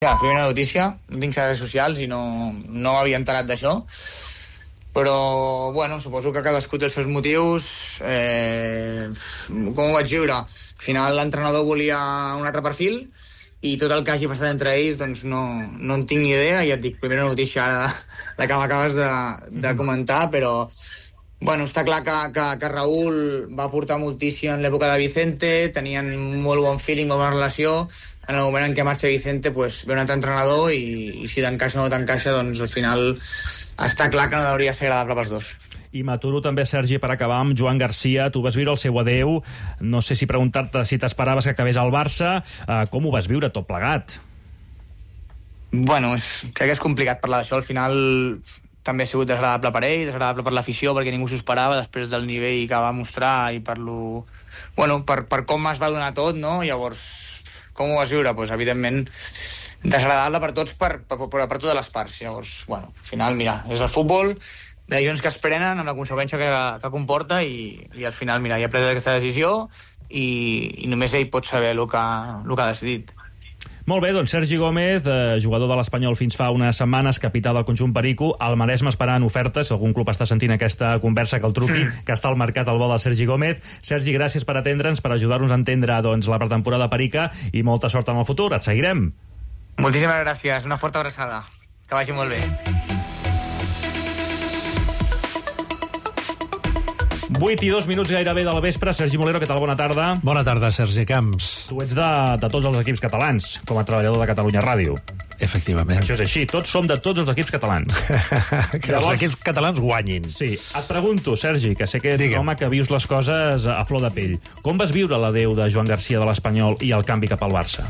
Ja, primera notícia, no tinc xarxes socials i no m'havia enterat d'això, però, bueno, suposo que cadascú té els seus motius. Com ho vaig viure? Al final l'entrenador volia un altre perfil i tot el que hagi passat entre ells doncs no en tinc ni idea. Ja et dic, primera notícia ara la que m'acabes de comentar, però bueno, està clar que Raúl va aportar moltíssim en l'època de Vicente, tenien molt bon feeling, molt bona relació. En el moment en què marxa Vicente, pues, ve un altre entrenador i si t'encaixa o no t'encaixa, doncs al final està clar que no hauria de ser agradable pels dos. I m'aturo també, Sergi, per acabar amb Joan Garcia. Tu vas viure el seu adeu. No sé si preguntar-te si t'esperaves que acabés al Barça. Com ho vas viure tot plegat? Bueno, crec que és complicat parlar d'això. Al final també ha sigut desagradable per ell, desagradable per l'afició, perquè ningú s'ho esperava després del nivell que va mostrar i per com es va donar tot, no? Llavors, com ho vas viure? Pues, evidentment, desagradable per tots, per totes les parts. Llavors, bueno, al final, mira, és el futbol, decisions que es prenen amb la conseqüència que comporta i al final, mira, ja ha pres aquesta decisió i només ell pot saber el que ha decidit. Molt bé, doncs Sergi Gómez, jugador de l'Espanyol fins fa unes setmanes, capità del conjunt Perico, al Maresme esperant ofertes. Si algun club està sentint aquesta conversa, que el truqui, que està al mercat al vol del Sergi Gómez. Sergi, gràcies per atendre'ns, per ajudar-nos a entendre la pretemporada perica i molta sort en el futur. Et seguirem. Moltíssimes gràcies, una forta abraçada. Que vagi molt bé. 8 i 2 minuts gairebé del vespre. Sergi Molero, què tal? Bona tarda. Bona tarda, Sergi Camps. Tu ets de tots els equips catalans, com a treballador de Catalunya Ràdio. Efectivament. Això és així, tots som de tots els equips catalans. Que llavors, els equips catalans guanyin. Sí. Et pregunto, Sergi, que sé que ets un home que vius les coses a flor de pell. Com vas viure l'adeu de Joan Garcia de l'Espanyol i el canvi cap al Barça?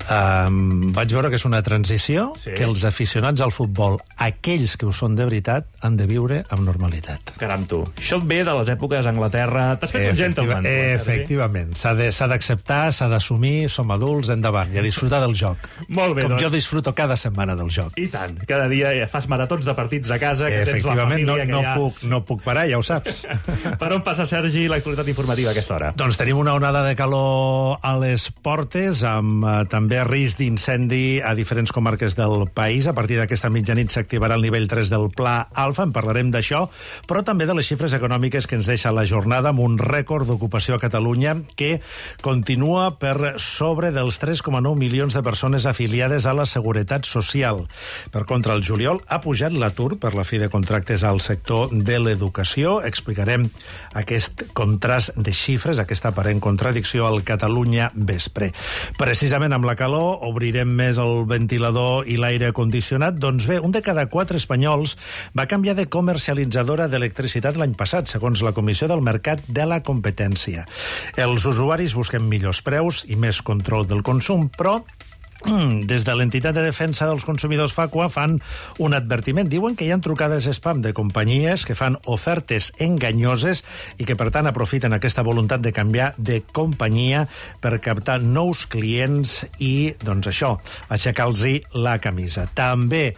Vaig veure que és una transició que els aficionats al futbol, aquells que ho són de veritat, han de viure amb normalitat. Caram, tu. Això et ve de les èpoques a Anglaterra. T'has fet un gentleman. Efectivament. S'ha d'acceptar, s'ha d'assumir, som adults, endavant, i a disfrutar del joc. Molt bé, com jo disfruto cada setmana del joc. I tant. Cada dia fas maratons de partits a casa, que tens la família no puc parar, ja ho saps. Per on passa, Sergi, l'actualitat informativa a aquesta hora? Doncs tenim una onada de calor a les portes, amb també risc d'incendi a diferents comarques del país. A partir d'aquesta mitjanit s'activarà el nivell 3 del Pla Alfa, en parlarem d'això, però també de les xifres econòmiques que ens deixa la jornada, amb un rècord d'ocupació a Catalunya que continua per sobre dels 3,9 milions de persones afiliades a la Seguretat Social. Per contra, el juliol ha pujat l'atur per la fi de contractes al sector de l'educació. Explicarem aquest contrast de xifres, aquesta aparent contradicció al Catalunya Vespre. Precisament amb la calor obrirem més el ventilador i l'aire condicionat. Doncs bé, un de cada 4 espanyols va canviar de comercialitzadora d'electricitat l'any passat, segons la Comissió del Mercat de la Competència. Els usuaris busquen millors preus i més control del consum, però des de l'entitat de defensa dels consumidors Facua fan un advertiment. Diuen que hi ha trucades spam de companyies que fan ofertes enganyoses i que, per tant, aprofiten aquesta voluntat de canviar de companyia per captar nous clients i, doncs això, aixecar-los la camisa. També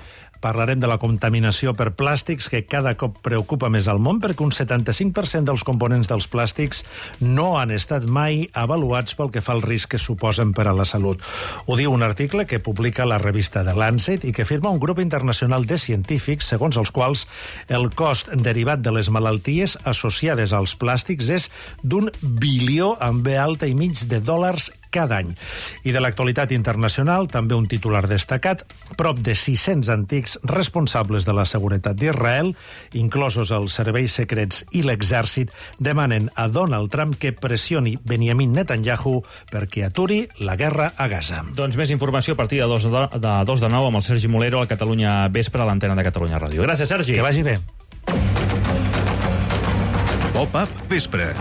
parlarem de la contaminació per plàstics, que cada cop preocupa més al món, perquè un 75% dels components dels plàstics no han estat mai avaluats pel que fa al risc que suposen per a la salut. Ho diu un article que publica la revista The Lancet i que firma un grup internacional de científics, segons els quals el cost derivat de les malalties associades als plàstics és d'1 bilió amb B alta i mig de dòlars cada any. I de l'actualitat internacional, també un titular destacat: prop de 600 antics responsables de la seguretat d'Israel, inclosos els serveis secrets i l'exèrcit, demanen a Donald Trump que pressioni Benjamin Netanyahu perquè aturi la guerra a Gaza. Doncs més informació a partir de 2 de 9 amb el Sergi Molero a Catalunya Vespre, a l'antena de Catalunya Ràdio. Gràcies, Sergi. Que vagi bé. Pop-up Vespre.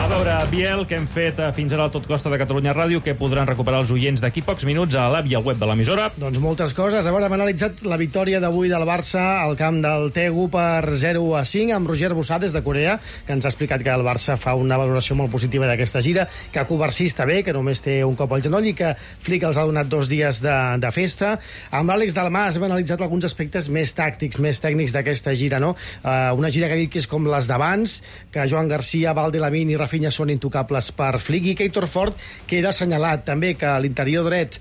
A veure, Biel, que hem fet fins ara al Tot Costa de Catalunya Ràdio, que podran recuperar els oients d'aquí pocs minuts a l'app i al web de l'emissora. Doncs moltes coses. A veure, hem analitzat la victòria d'avui del Barça al camp del Daegu per 0-5 amb Roger Bussà des de Corea, que ens ha explicat que el Barça fa una valoració molt positiva d'aquesta gira, que Covarsí està bé, que només té un cop al genoll i que Flick els ha donat 2 dies de festa. Amb l'Àlex Dalmas hem analitzat alguns aspectes més tàctics, més tècnics d'aquesta gira, no? Una gira que ha dit que és com les d'abans, que Joan Garcia, Valdelavín i Rafinha Vinyes són intocables per Flick, i Heitor Ford queda assenyalat també que l'interior dret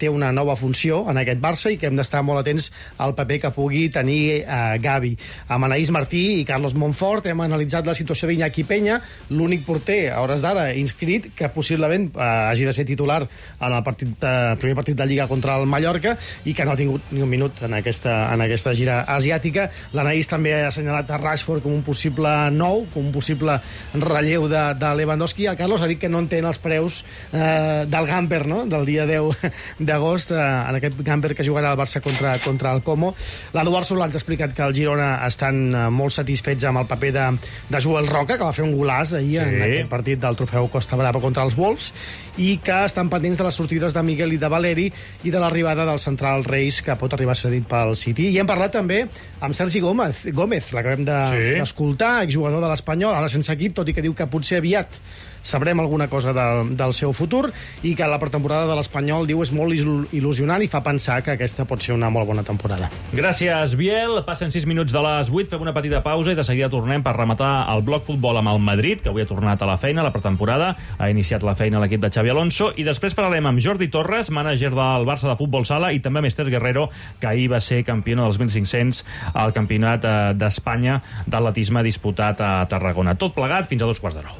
té una nova funció en aquest Barça i que hem d'estar molt atents al paper que pugui tenir Gavi. Amb Anaïs Martí i Carlos Monfort hem analitzat la situació d'Iñaki Peña, l'únic porter a hores d'ara inscrit que possiblement hagi de ser titular en el primer partit de Lliga contra el Mallorca i que no ha tingut ni un minut en aquesta gira asiàtica. L'Anaïs també ha assenyalat a Rashford com un possible nou, com un possible relleu de Lewandowski. El Carlos ha dit que no entén els preus del Gamper, no?, del dia 10 d'agost, en aquest Gamper que jugarà el Barça contra el Como. L'Eduard Solà ens ha explicat que el Girona estan molt satisfets amb el paper de Joel Roca, que va fer un golaç ahir en aquest partit del trofeu Costa Brava contra els Wolves, i que estan pendents de les sortides de Miguel i de Valeri i de l'arribada del central Reis, que pot arribar cedit pel City. I hem parlat també amb Sergi Gómez, l'acabem d'escoltar, exjugador de l'Espanyol, ara sense equip, tot i que diu que potser aviat sabrem alguna cosa del seu futur, i que la pretemporada de l'Espanyol, diu, és molt il·lusionant i fa pensar que aquesta pot ser una molt bona temporada. Gràcies, Biel. Passen 6 minuts de les 8, fem una petita pausa i de seguida tornem per rematar el bloc futbol amb el Madrid, que avui ha tornat a la feina, a la pretemporada, ha iniciat la feina l'equip de Xavi Alonso, i després parlarem amb Jordi Torres, mànager del Barça de Futbol Sala, i també amb Esther Guerrero, que ahir va ser campiona dels 1.500 al Campionat d'Espanya d'atletisme disputat a Tarragona. Tot plegat fins a 2:15.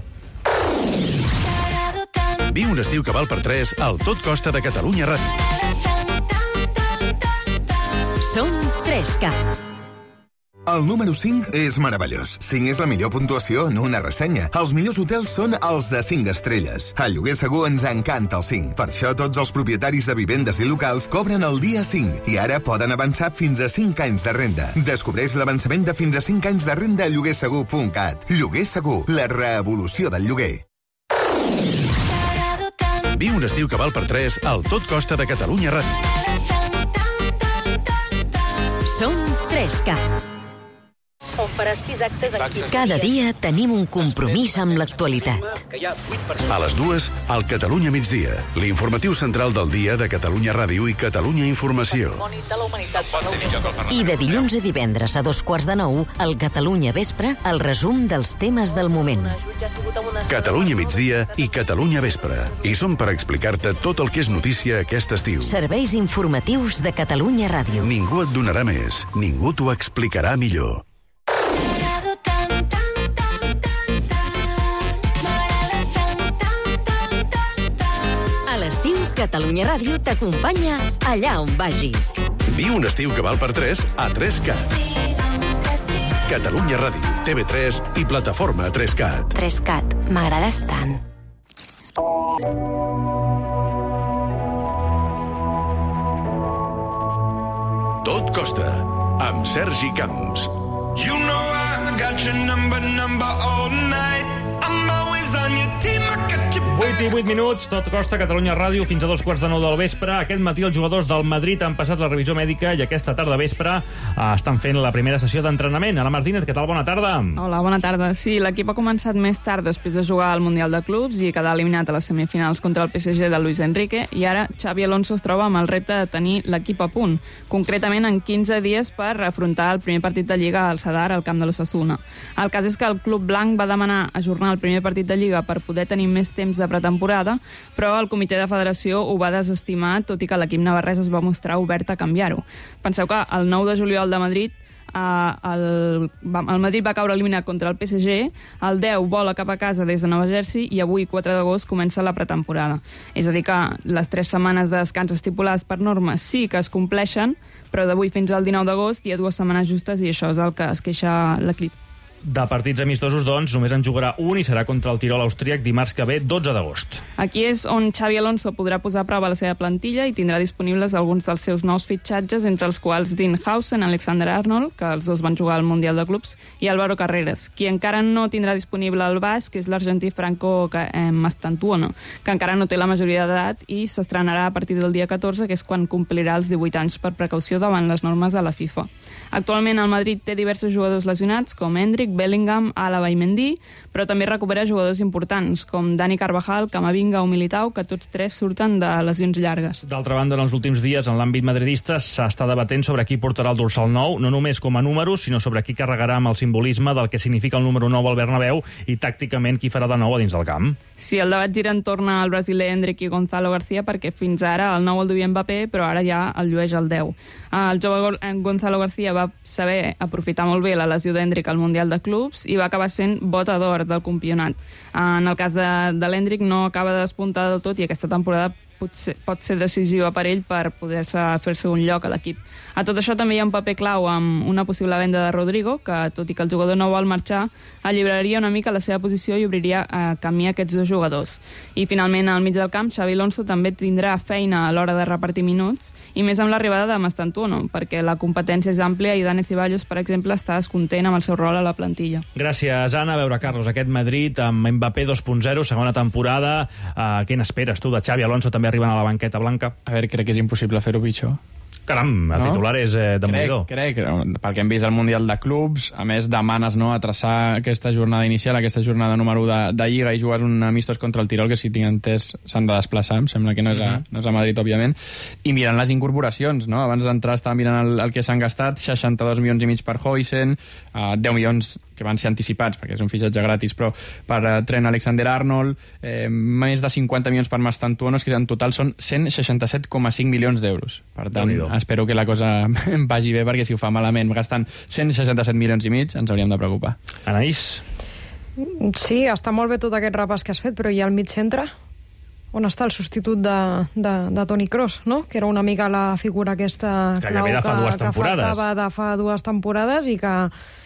Viu un estiu que val per 3 al Tot Costa de Catalunya Ràdio. Som 3Cat. El número 5 és meravellós. 5 és la millor puntuació en una ressenya. Els millors hotels són els de 5 estrelles. A Lloguer Segur ens encanta el 5. Per això tots els propietaris de vivendes i locals cobren el dia 5 i ara poden avançar fins a 5 anys de renda. Descobreix l'avançament de fins a 5 anys de renda a lloguersegur.cat. Lloguer Segur, la revolució del lloguer. Viu un estiu que val per 3 al Tot Costa de Catalunya Ràdio. Som 3Cat. On farà 6 actes en 15 Cada dia tenim un compromís amb l'actualitat. A les 2, al Catalunya Migdia, l'informatiu central del dia de Catalunya Ràdio i Catalunya Informació. I de dilluns a divendres a 8:45, al Catalunya Vespre, el resum dels temes del moment. Catalunya Migdia i Catalunya Vespre. I som per explicar-te tot el que és notícia aquest estiu. Serveis informatius de Catalunya Ràdio. Ningú et donarà més, ningú t'ho explicarà millor. A l'estiu, Catalunya Ràdio t'acompanya allà on vagis. Viu un estiu que val per 3 a 3Cat. Catalunya Ràdio, TV3 i plataforma 3Cat. 3Cat, m'agrades tant. Tot Costa, amb Sergi Camps. You know I got your number all night. I'm always on your team, I got your 8 i 8 minuts, Tot Costa, Catalunya Ràdio, fins a 2:15 del vespre. Aquest matí els jugadors del Madrid han passat la revisió mèdica i aquesta tarda vespre estan fent la primera sessió d'entrenament. Ana Martínez, què tal? Bona tarda. Hola, bona tarda. Sí, l'equip ha començat més tard després de jugar al Mundial de Clubs i quedar eliminat a les semifinals contra el PSG de Luis Enrique, i ara Xavi Alonso es troba amb el repte de tenir l'equip a punt, concretament en 15 dies per afrontar el primer partit de Lliga al Sadar, al camp de l'Osasuna. El cas és que el club blanc va demanar ajornar el primer partit de Lliga per poder tenir més temps de pretemporada, però el comitè de federació ho va desestimar, tot i que l'equip navarrès es va mostrar obert a canviar-ho. Penseu que el 9 de juliol de Madrid el Madrid va caure eliminat contra el PSG, el 10 vola cap a casa des de Nova Jersey i avui, 4 d'agost, comença la pretemporada. És a dir que les 3 setmanes de descans estipulades per norma sí que es compleixen, però d'avui fins al 19 d'agost hi ha 2 setmanes justes i això és el que es queixa l'equip. De partits amistosos, doncs, només en jugarà un i serà contra el Tirol austríac dimarts que ve, 12 d'agost. Aquí és on Xavi Alonso podrà posar a prova la seva plantilla i tindrà disponibles alguns dels seus nous fitxatges, entre els quals Dean Howson, Alexander Arnold, que els dos van jugar al Mundial de Clubs, i Álvaro Carreras. Qui encara no tindrà disponible el basc és l'argentí Franco Mastantuono, que encara no té la majoria d'edat i s'estrenarà a partir del dia 14, que és quan complirà els 18 anys per precaució davant les normes de la FIFA. Actualment el Madrid té diversos jugadors lesionats, com Hendrik, Bellingham, Alaba i Mendy, però també recupera jugadors importants, com Dani Carvajal, Camavinga o Militao, que tots tres surten de lesions llargues. D'altra banda, en els últims dies, en l'àmbit madridista, s'està debatent sobre qui portarà el dorsal 9, no només com a números, sinó sobre qui carregarà amb el simbolisme del que significa el número 9 al Bernabéu i tàcticament qui farà de 9 a dins del camp. Sí, el debat gira entorn al brasiler Endrick i Gonzalo García, perquè fins ara el 9 el duia Mbappé, però ara ja el llueix el 10. El jove Gonzalo García va saber aprofitar molt bé la lesió d'Endrick al Mundial de Clubs i va acabar sent bota d'or del campionat. En el cas de l'Endrick no acaba de despuntar del tot i aquesta temporada pot ser decisiva per ell per poder-se fer-se un lloc a l'equip. A tot això també hi ha un paper clau amb una possible venda de Rodrigo, que tot i que el jugador no vol marxar, alliberaria una mica la seva posició i obriria camí a aquests dos jugadors. I finalment, al mig del camp, Xabi Alonso també tindrà feina a l'hora de repartir minuts, i més amb l'arribada de Mastantuono, perquè la competència és àmplia i Dani Ceballos, per exemple, està descontent amb el seu rol a la plantilla. Gràcies, Anna. A veure, Carlos, aquest Madrid amb Mbappé 2.0, segona temporada. Què n'esperes tu de Xabi Alonso també arribant a la banqueta blanca? A veure, crec que és impossible fer-ho pitjor. Caram, el titular és de Molló. Crec, perquè hem vist el Mundial de Clubs, a més demanes a traçar aquesta jornada inicial, aquesta jornada número 1 de Lliga, i jugues un amistós contra el Tirol, que si tinc entès s'han de desplaçar, em sembla que no és a Madrid, òbviament, i mirant les incorporacions, no? Abans d'entrar estava mirant el que s'han gastat, 62 milions i mig per Huijsen, 10 milions que van ser anticipats, perquè és un fitxatge gratis, però per Trent Alexander-Arnold, més de 50 milions per Mastantuono, que en total són 167,5 milions d'euros. Per tant, espero que la cosa vagi bé, perquè si ho fa malament gastant 167 milions i mig ens hauríem de preocupar. Anaïs? Sí, està molt bé tot aquest repàs que has fet, però hi ha el mig centre? On està el substitut de Toni Kroos, no? Que era una mica la figura aquesta clau que faltava de fa 2 temporades i que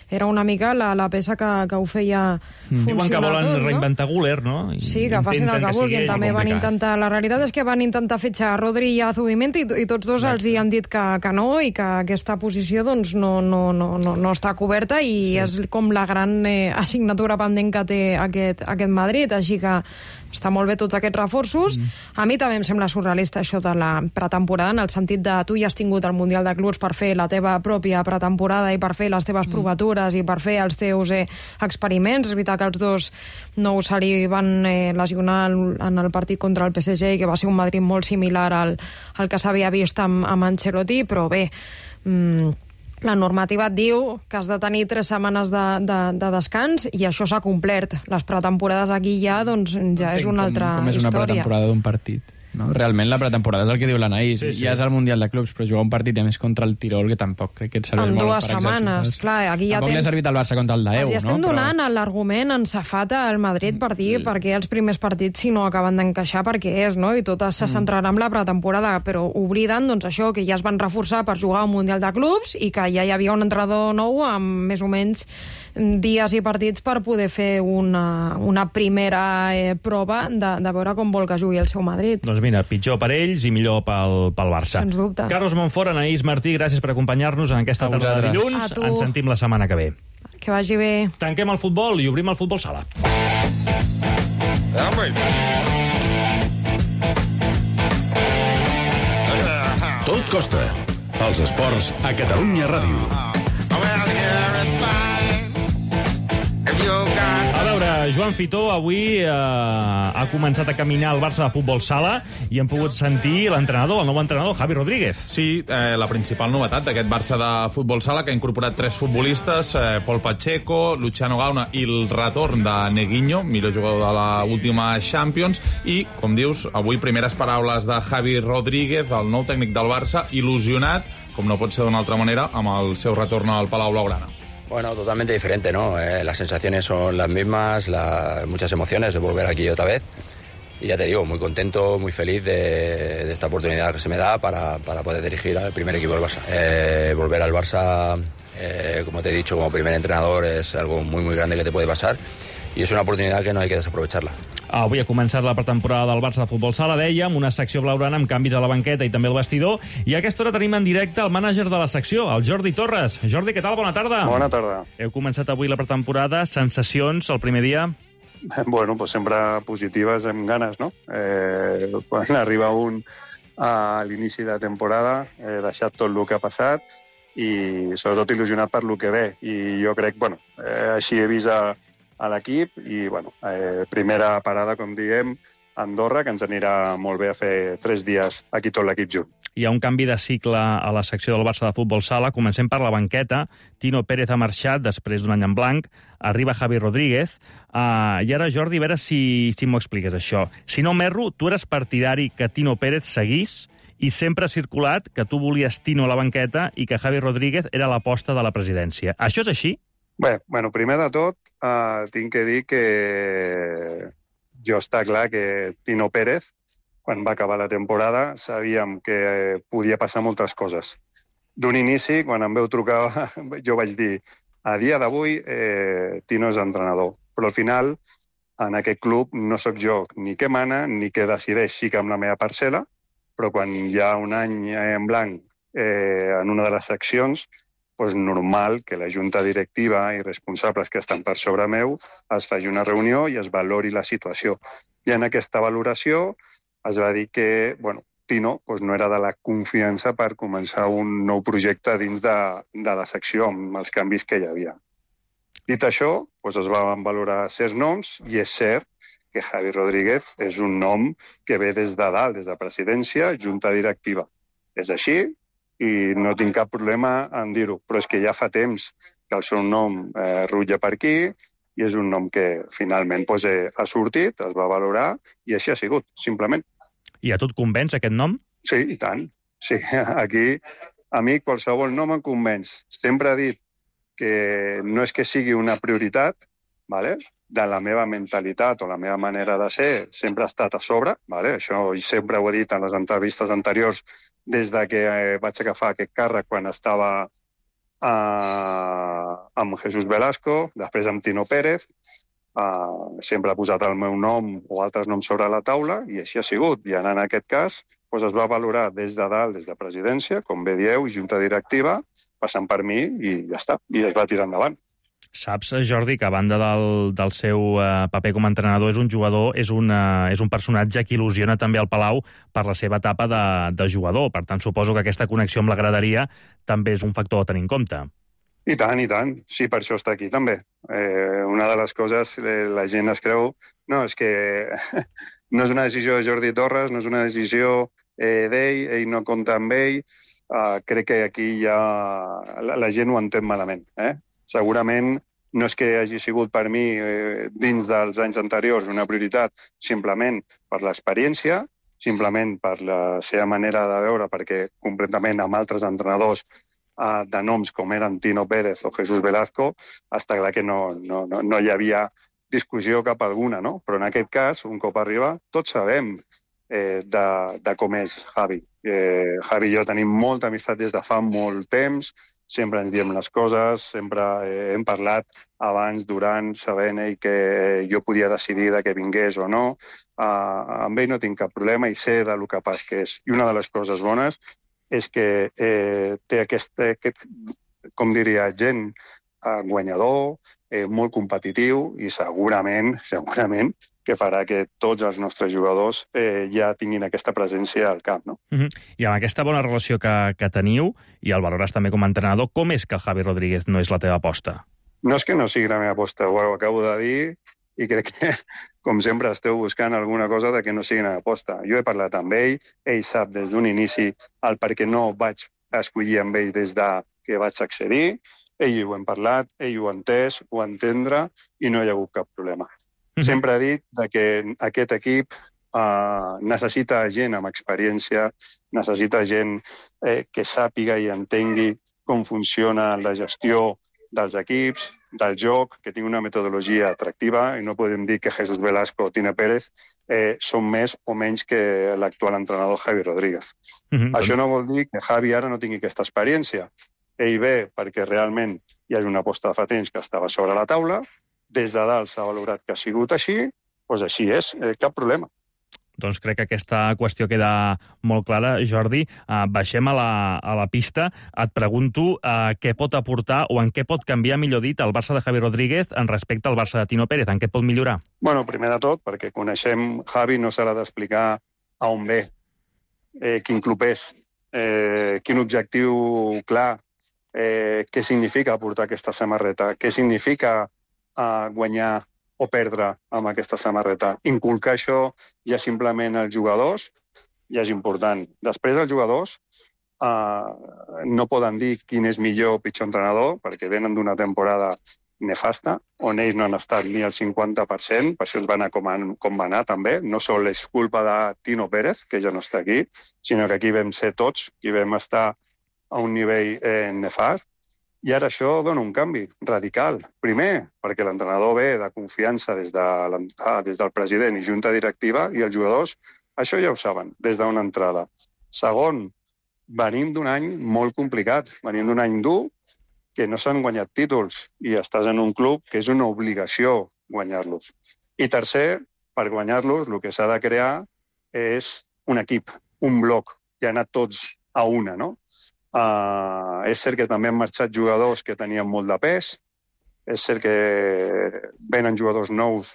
era una mica la peça que ho feia funcionar. Diuen que volen reinventar Güler, no? Sí, que facin el que vulguin. També van intentar... La realitat és que van intentar fitxar Rodri i Zubimendi i tots dos els hi han dit que no, i que aquesta posició doncs no està coberta, i és com la gran assignatura pendent que té aquest Madrid, així que està molt bé tots aquests reforços. A mi també em sembla surrealista això de la pretemporada, en el sentit de tu ja has tingut el Mundial de Clubs per fer la teva pròpia pretemporada i per fer les teves provatures i per fer els teus experiments. És veritat que els dos no se li van lesionar en el partit contra el PSG, i que va ser un Madrid molt similar al que s'havia vist amb Ancelotti, però bé, la normativa et diu que has de tenir 3 setmanes de descans, i això s'ha complert. Les pretemporades aquí ja és una altra història. Com és una pretemporada d'un partit? No? Realment la pretemporada és el que diu l'Anaïs. Ja és el Mundial de Clubs, però jugar un partit, a més, contra el Tirol, que tampoc crec que et serveix molt per exercicis. En 2 setmanes, clar, aquí ja tampoc li ha servit al Barça contra el Daeu, no? Estem donant l'argument en safata al Madrid per dir perquè els primers partits, si no acaben d'encaixar, perquè és, no? I tot se centrarà en la pretemporada, però obliden, doncs, això, que ja es van reforçar per jugar un Mundial de Clubs i que ja hi havia un entrenador nou amb més o menys dies i partits per poder fer una primera prova de veure com vol que jugui el seu Madrid. Doncs mira, pitjor per ells i millor pel Barça. Sens dubte. Carlos Monfort, Anaïs Martí, gràcies per acompanyar-nos en aquesta tarda de dilluns. Ens sentim la setmana que ve. Que vagi bé. Tanquem el futbol i obrim el futbol sala. Tot costa. Els esports a Catalunya Ràdio. A veure, Joan Fitó avui ha començat a caminar el Barça de futbol sala i hem pogut sentir l'entrenador, el nou entrenador, Javi Rodríguez. Sí, la principal novetat d'aquest Barça de futbol sala, que ha incorporat 3 futbolistes, Pol Pacheco, Luciano Gauna i el retorn de Neguinho, millor jugador de l'última Champions, i, com dius, avui primeres paraules de Javi Rodríguez, el nou tècnic del Barça, il·lusionat, com no pot ser d'una altra manera, amb el seu retorn al Palau Blaugrana. Bueno, totalmente diferente, ¿no? Las sensaciones son las mismas, muchas emociones de volver aquí otra vez. Y ya te digo, muy contento, muy feliz de esta oportunidad que se me da para poder dirigir al primer equipo del Barça. Volver al Barça, como te he dicho, como primer entrenador es algo muy, muy grande que te puede pasar. I és una oportunitat que no hay que desaprovecharla. Avui ha començat la pretemporada del Barça de futbol sala, dèiem, una secció blaugrana amb canvis a la banqueta i també al vestidor, i a aquesta hora tenim en directe el mànager de la secció, el Jordi Torres. Jordi, què tal? Bona tarda. Bona tarda. Heu començat avui la pretemporada, sensacions el primer dia? Bueno, pues sempre positives, amb ganes, no? Quan arriba un a l'inici de temporada, deixat tot el que ha passat, i sobretot il·lusionat per lo que ve. I jo crec, així he vist a l'equip i, primera parada, com diem, Andorra, que ens anirà molt bé a fer 3 dies aquí tot l'equip junt. Hi ha un canvi de cicle a la secció del Barça de Futbol Sala. Comencem per la banqueta. Tino Pérez ha marxat després d'un any en blanc. Arriba Javi Rodríguez. I ara, Jordi, a veure si m'ho expliques, això. Si no m'erro, tu eres partidari que Tino Pérez seguís i sempre ha circulat que tu volies Tino a la banqueta i que Javi Rodríguez era l'aposta de la presidència. Això és així? Bé, primer de tot, tinc que dir que jo està clar que Tino Pérez, quan va acabar la temporada, sabíem que podia passar moltes coses. D'un inici, quan em veu trucar, jo vaig dir, a dia d'avui, Tino és entrenador. Però al final, en aquest club, no sóc jo ni que mana ni que decideix, sí que amb la meva parcel·la, però quan hi ha un any en blanc en una de les seccions, és normal que la junta directiva i responsables que estan per sobre meu es faci una reunió i es valori la situació. I en aquesta valoració es va dir que Tino no era de la confiança per començar un nou projecte dins de la secció amb els canvis que hi havia. Dit això, es van valorar 6 noms i és cert que Javi Rodríguez és un nom que ve des de dalt, des de presidència, junta directiva. És així i no tinc cap problema en dir-ho, però és que ja fa temps que el seu nom rutlla per aquí i és un nom que finalment ha sortit, es va valorar i així ha sigut, simplement. I a tu et convenç aquest nom? Sí, i tant. Sí, aquí a mi qualsevol nom em convenç. Sempre he dit que no és que sigui una prioritat, de la meva mentalitat o la meva manera de ser, sempre ha estat a sobre, això sempre ho he dit en les entrevistes anteriors des que vaig agafar aquest càrrec quan estava amb Jesús Velasco, després amb Tino Pérez, sempre ha posat el meu nom o altres noms sobre la taula i així ha sigut. I en aquest cas es va valorar des de dalt, des de presidència, com bé dieu, junta directiva, passant per mi i ja està, i es va tirar endavant. Saps, Jordi, que a banda del seu paper com a entrenador és un jugador, és un personatge que il·lusiona també al Palau per la seva etapa de jugador. Per tant, suposo que aquesta connexió amb la graderia també és un factor a tenir en compte. I tant, i tant. Sí, per això està aquí també. Una de les coses, la gent es creu, és que no és una decisió de Jordi Torres, no és una decisió d'ell, ell no compta amb ell. Crec que aquí ja la gent ho entén malament. Segurament no és que hagi sigut per mi dins dels anys anteriors una prioritat simplement per l'experiència, simplement per la seva manera de veure, perquè completament amb altres entrenadors de noms com eren Tino Pérez o Jesús Velasco, està clar que no hi havia discussió cap alguna, no? Però en aquest cas, un cop arriba, tots sabem de com és Javi. Javi i jo tenim molta amistat des de fa molt temps, sempre ens diem les coses, sempre hem parlat abans, durant, sabent ell que jo podia decidir de que vingués o no. Amb ell no tinc cap problema i sé del capaç que és. I una de les coses bones és que té aquest com diria, gent guanyador, molt competitiu i segurament que farà que tots els nostres jugadors ja tinguin aquesta presència al camp, no? I amb aquesta bona relació que teniu, i el valores també com a entrenador, com és que el Javi Rodríguez no és la teva aposta? No és que no sigui la meva aposta, ho acabo de dir, i crec que, com sempre, esteu buscant alguna cosa de que no sigui una aposta. Jo he parlat amb ell sap des d'un inici el per què no vaig escollir amb ell des que vaig accedir, ell ho hem parlat, ell ho ha entès, ho ha entendre, i no hi ha hagut cap problema. Sempre he dit que aquest equip necessita gent amb experiència, necessita gent que sàpiga i entengui com funciona la gestió dels equips, del joc, que tingui una metodologia atractiva, i no podem dir que Jesús Velasco o Tino Pérez són més o menys que l'actual entrenador Javi Rodríguez. Això no vol dir que Javi ara no tingui aquesta experiència. Ell ve perquè realment hi hagi una aposta de fa temps que estava sobre la taula, des de dalt s'ha valorat que ha sigut així, doncs així és, cap problema. Doncs crec que aquesta qüestió queda molt clara, Jordi. Baixem a la pista. Et pregunto què pot aportar o en què pot canviar, millor dit, el Barça de Javi Rodríguez en respecte al Barça de Tino Pérez. En què et pot millorar? Bueno, primer de tot, perquè coneixem Javi, no s'ha d'explicar a on ve, quin club és, quin objectiu clar què significa portar aquesta samarreta, què significa guanyar o perdre amb aquesta samarreta. Inculcar això ja simplement als jugadors ja és important. Després els jugadors no poden dir quin és millor o pitjor entrenador, perquè venen d'una temporada nefasta, on ells no han estat ni al 50%, per això es va anar com va anar també. No sol és culpa de Tino Pérez, que ja no està aquí, sinó que aquí vam ser tots, i vam estar a un nivell nefast, i ara això dona un canvi radical. Primer, perquè l'entrenador ve de confiança des del president i junta directiva, i els jugadors això ja ho saben, des d'una entrada. Segon, venim d'un any molt complicat, venim d'un any dur, que no s'han guanyat títols, i estàs en un club que és una obligació guanyar-los. I tercer, per guanyar-los, el que s'ha de crear és un equip, un bloc, i anar tots a una, no? És cert que també han marxat jugadors que tenien molt de pes, és cert que venen jugadors nous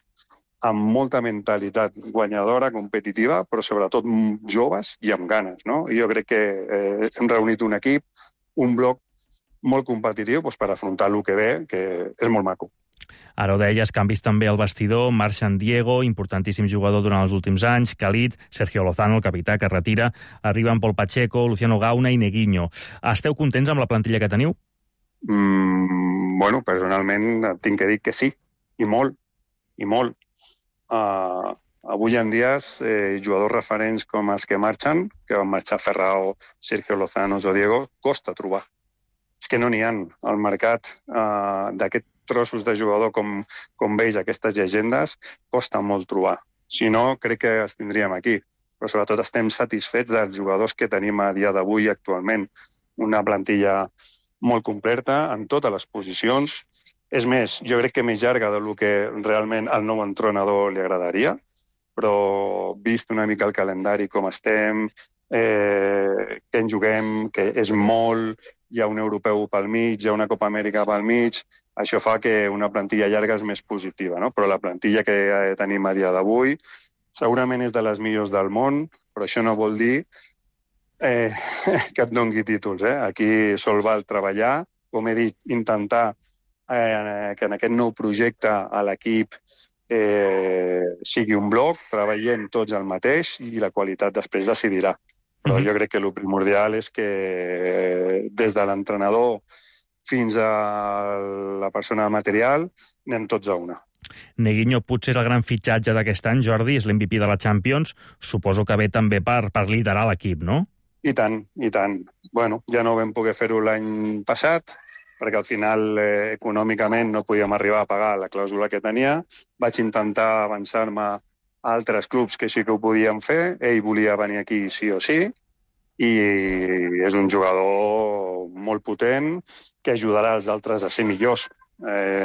amb molta mentalitat guanyadora, competitiva, però sobretot joves i amb ganes, no? I jo crec que hem reunit un equip, un bloc molt competitiu per afrontar el que ve, que és molt maco. Ara ho deies, canvis també al vestidor, marxen Diego, importantíssim jugador durant els últims anys, Khalid, Sergio Lozano, el capità, que es retira, arriben Pol Pacheco, Luciano Gauna i Neguinho. Esteu contents amb la plantilla que teniu? Bueno, personalment tinc que dir que sí, i molt, i molt. Avui en dia, jugadors referents com els que marxen, que van marxar Ferrao, Sergio Lozano o Diego, costa trobar. És que no n'hi ha al mercat d'aquests trossos de jugador com veus, aquestes llegendes, costa molt trobar. Si no, crec que els tindríem aquí. Però sobretot estem satisfets dels jugadors que tenim a dia d'avui actualment. Una plantilla molt completa en totes les posicions. És més, jo crec que més llarga del que realment al nou entrenador li agradaria, però vist una mica el calendari com estem, que en juguem, que és molt, hi ha un europeu pel mig, hi ha una Copa Amèrica pel mig, això fa que una plantilla llarga és més positiva, no? Però la plantilla que tenim a dia d'avui segurament és de les millors del món, però això no vol dir que et doni títols. Aquí sol val treballar, com he dit, intentar que en aquest nou projecte a l'equip sigui un bloc, treballem tots el mateix i la qualitat després decidirà. Però jo crec que el primordial és que des de l'entrenador fins a la persona material anem tots a una. Neguinho potser és el gran fitxatge d'aquest any, Jordi, és l'MVP de la Champions. Suposo que ve també per liderar l'equip, no? I tant, i tant. Bueno, ja no vam poder fer-ho l'any passat, perquè al final econòmicament no podíem arribar a pagar la clàusula que tenia. Vaig intentar avançar-me a altres clubs que sí que ho podien fer. Ell volia venir aquí sí o sí, i és un jugador molt potent que ajudarà els altres a ser millors.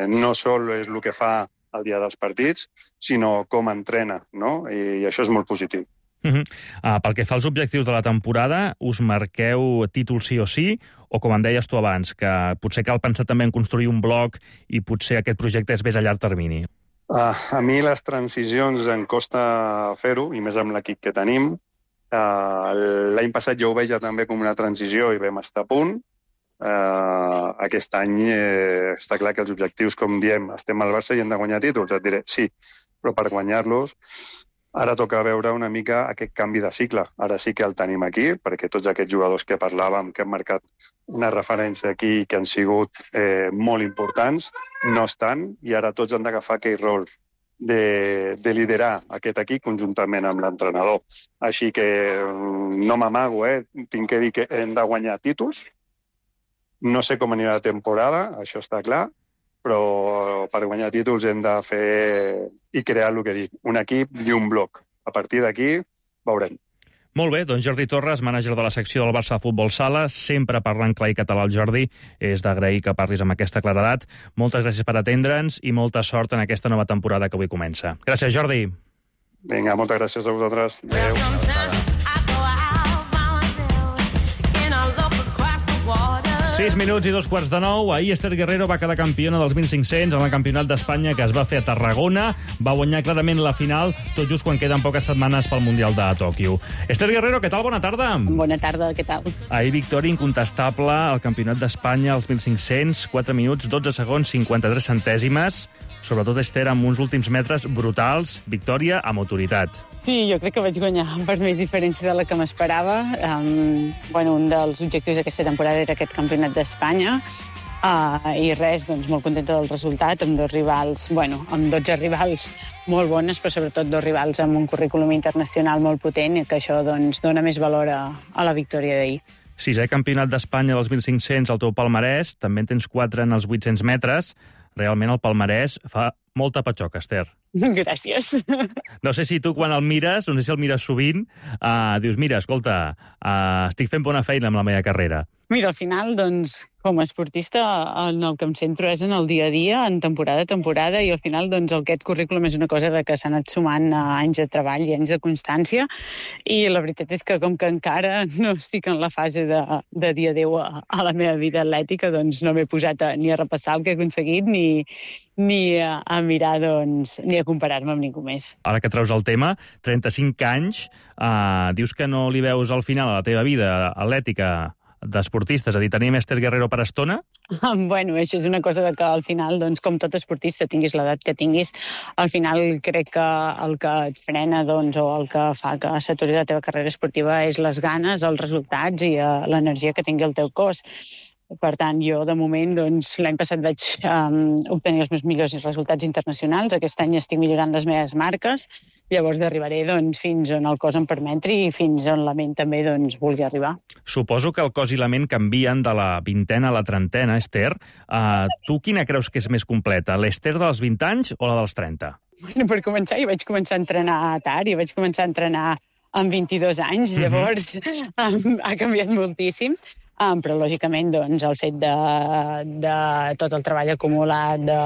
No sol és el que fa el dia dels partits, sinó com entrena, no? I això és molt positiu. Pel que fa als objectius de la temporada, us marqueu títol sí o sí, o com em deies tu abans, que potser cal pensar també en construir un bloc i potser aquest projecte és més a llarg termini? A mi les transicions em costa fer-ho, i més amb l'equip que tenim. L'any passat jo ho veia també com una transició i vam estar a punt. Aquest any està clar que els objectius, com diem, estem al Barça i hem de guanyar títols. Et diré, sí, però per guanyar-los ara toca veure una mica aquest canvi de cicle. Ara sí que el tenim aquí, perquè tots aquests jugadors que parlàvem, que han marcat una referència aquí, que han sigut molt importants, no estan, i ara tots han d'agafar aquell rol de liderar aquest equip conjuntament amb l'entrenador. Així que no m'amago, tinc que dir que hem de guanyar títols. No sé com anirà la temporada, això està clar, però per guanyar títols hem de fer i crear el que dic, un equip i un bloc. A partir d'aquí veurem. Molt bé, doncs Jordi Torres, mànager de la secció del Barça Futbol Sala, sempre parlant clar i català al Jordi, és d'agrair que parlis amb aquesta claredat. Moltes gràcies per atendre'ns i molta sort en aquesta nova temporada que avui comença. Gràcies, Jordi. Vinga, moltes gràcies a vosaltres. Adéu. 6 minuts i 2:15. Ahir Esther Guerrero va quedar campiona dels 1.500 en el Campionat d'Espanya que es va fer a Tarragona. Va guanyar clarament la final, tot just quan queden poques setmanes pel Mundial de Tòquio. Esther Guerrero, què tal? Bona tarda. Bona tarda, què tal? Ahir victòria incontestable al Campionat d'Espanya als 1.500, 4 minuts, 12 segons, 53 centèsimes. Sobretot, Esther, amb uns últims metres brutals, victòria amb autoritat. Sí, jo crec que vaig guanyar per més diferència de la que m'esperava. Un dels objectius d'aquesta temporada era aquest Campionat d'Espanya. I res, doncs molt contenta del resultat, amb dos rivals, amb 12 rivals molt bones, però sobretot dos rivals amb un currículum internacional molt potent, i que això doncs dona més valor a la victòria d'ahir. 6è Campionat d'Espanya dels 1.500 al teu palmarès, també en tens 4 en els 800 metres. Realment el palmarès fa molta patxoca, Esther. Gràcies. No sé si tu, quan el mires, no sé si el mires sovint, dius, mira, escolta, estic fent bona feina amb la meva carrera. Mira, al final, doncs, com a esportista, en el que em centro és en el dia a dia, en temporada a temporada, i al final, doncs, aquest currículum és una cosa que s'ha anat sumant anys de treball i anys de constància, i la veritat és que, com que encara no estic en la fase de dir adéu a la meva vida atlètica, doncs no m'he posat ni a repassar el que he aconseguit, ni a mirar, doncs, ni a comparar-me amb ningú més. Ara que treus el tema, 35 anys, dius que no li veus al final a la teva vida atlètica d'esportista, és a dir, tenim Esther Guerrero per estona? Això és una cosa que al final, doncs, com tot esportista, tinguis l'edat que tinguis, al final crec que el que et frena, doncs, o el que fa que s'aturi la teva carrera esportiva és les ganes, els resultats i l'energia que tingui el teu cos. Per tant, jo, de moment, doncs, l'any passat vaig obtenir els meus millors resultats internacionals. Aquest any estic millorant les meves marques. Llavors arribaré doncs, fins on el cos em permetri i fins on la ment també doncs, vulgui arribar. Suposo que el cos i la ment canvien de la vintena a la trentena, Esther. Tu quina creus que és més completa, l'Esther dels 20 anys o la dels 30? Per començar, jo vaig començar a entrenar tard, jo vaig començar a entrenar amb 22 anys, llavors ha canviat moltíssim. Però, lògicament, doncs, el fet de tot el treball acumulat, de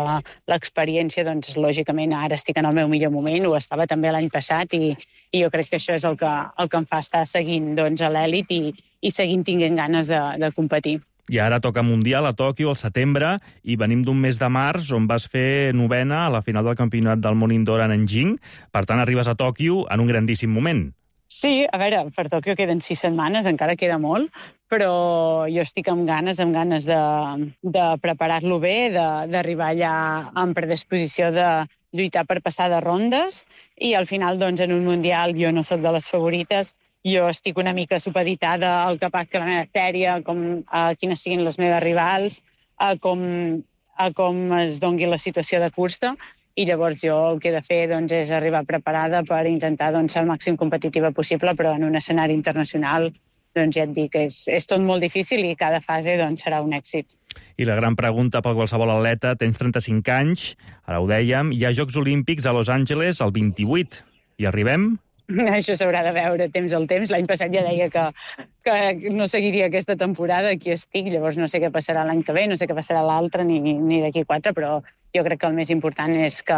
l'experiència, doncs, lògicament, ara estic en el meu millor moment, ho estava també l'any passat, i jo crec que això és el que em fa estar seguint doncs, a l'èlit i seguint tinguent ganes de competir. I ara toca Mundial a Tòquio al setembre, i venim d'un mes de març on vas fer novena a la final del Campionat del Món Indoor a Nanjing. Per tant, arribes a Tòquio en un grandíssim moment. Sí, a veure, per Tòquio queden 6 setmanes, encara queda molt, però jo estic amb ganes de preparar-lo bé, d'arribar allà amb predisposició de lluitar per passar de rondes, i al final, doncs, en un Mundial jo no soc de les favorites, jo estic una mica supeditada al que passi a la meva sèrie, a quines siguin les meves rivals, a com es dongui la situació de cursa, i llavors jo el que he de fer doncs, és arribar preparada per intentar doncs, ser el màxim competitiva possible, però en un escenari internacional doncs, ja et dic, és tot molt difícil i cada fase doncs, serà un èxit. I la gran pregunta per qualsevol atleta, tens 35 anys, ara ho dèiem, hi ha Jocs Olímpics a Los Angeles el 28. Hi arribem? Això s'haurà de veure temps al temps. L'any passat ja deia que no seguiria aquesta temporada, aquí estic, llavors no sé què passarà l'any que ve, no sé què passarà l'altre, ni d'aquí 4, però jo crec que el més important és que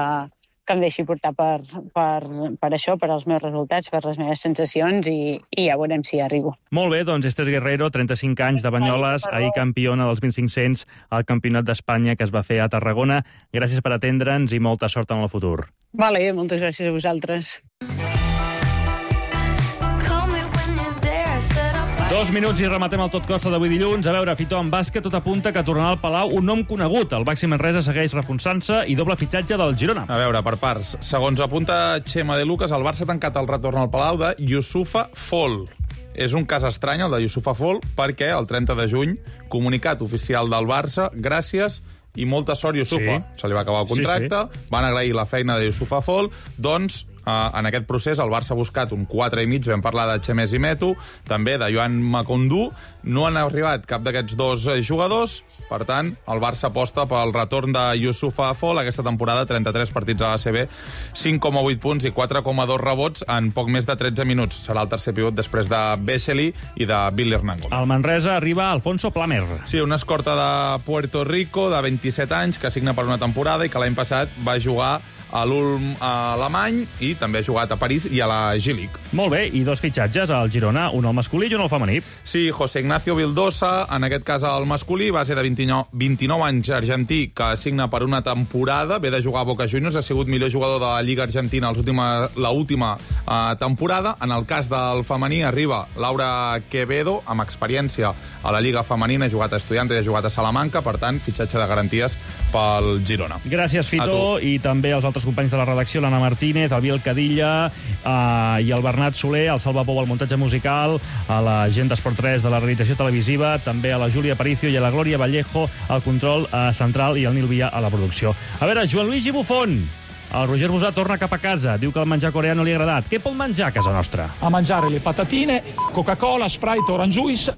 em deixi portar per això, per als meus resultats, per les meves sensacions, i ja veurem si hi arribo. Molt bé, doncs Esther Guerrero, 35 anys de Banyoles, ahir campiona dels 1.500 al Campionat d'Espanya que es va fer a Tarragona. Gràcies per atendre'ns i molta sort en el futur. Vale, moltes gràcies a vosaltres. 2 minuts i rematem el Tot Costa d'avui dilluns. A veure, Fitó, en bàsquet tot apunta que tornarà al Palau un nom conegut. El Baxi Manresa segueix reforçant-se i doble fitxatge del Girona. A veure, per parts. Segons apunta Xema de Lucas, el Barça ha tancat el retorn al Palau de Youssoufa Fall. És un cas estrany, el de Youssoufa Fall, perquè el 30 de juny, comunicat oficial del Barça, gràcies i molta sort, Youssoufa. Sí. Se li va acabar el contracte, van agrair la feina de Youssoufa Fall, doncs en aquest procés el Barça ha buscat un 4,5, vam parlar de Chemés i Metu, també de Joan Macondú, no han arribat cap d'aquests dos jugadors, per tant, el Barça aposta pel retorn de Youssoufa Fall aquesta temporada, 33 partits a l'ACB, 5,8 punts i 4,2 rebots en poc més de 13 minuts. Serà el tercer pivot després de Vesely i de Billy Hernangón. Al Manresa arriba Alfonso Plamer. Sí, una escorta de Puerto Rico de 27 anys que signa per una temporada i que l'any passat va jugar a l'Ulm alemany i també ha jugat a París i a la G-League. Molt bé, i 2 fitxatges al Girona, un al masculí i un al femení. Sí, José Ignacio Vildosa, en aquest cas al masculí, base de 29 anys argentí, que signa per una temporada, ve de jugar a Boca Juniors, ha sigut millor jugador de la Lliga Argentina l'última temporada. En el cas del femení arriba Laura Quevedo, amb experiència a la Lliga Femenina, ha jugat a Estudiantes i ha jugat a Salamanca, per tant, fitxatge de garanties pel Girona. Gràcies, Fito, i també als altres companys de la redacció, l'Anna Martínez, el Biel Cadilla i el Bernat Soler, el Salva Pou al muntatge musical, a la gent d'Esport 3 de la realització televisiva, també a la Júlia Aparicio i a la Glòria Vallejo al control central i el Nil Villa a la producció. A veure, Joan Luigi Buffon, el Roger Busà torna cap a casa, diu que el menjar coreà no li ha agradat. Què pot menjar a casa nostra? A mangiare le patatine, Coca-Cola, Sprite, Orange Juice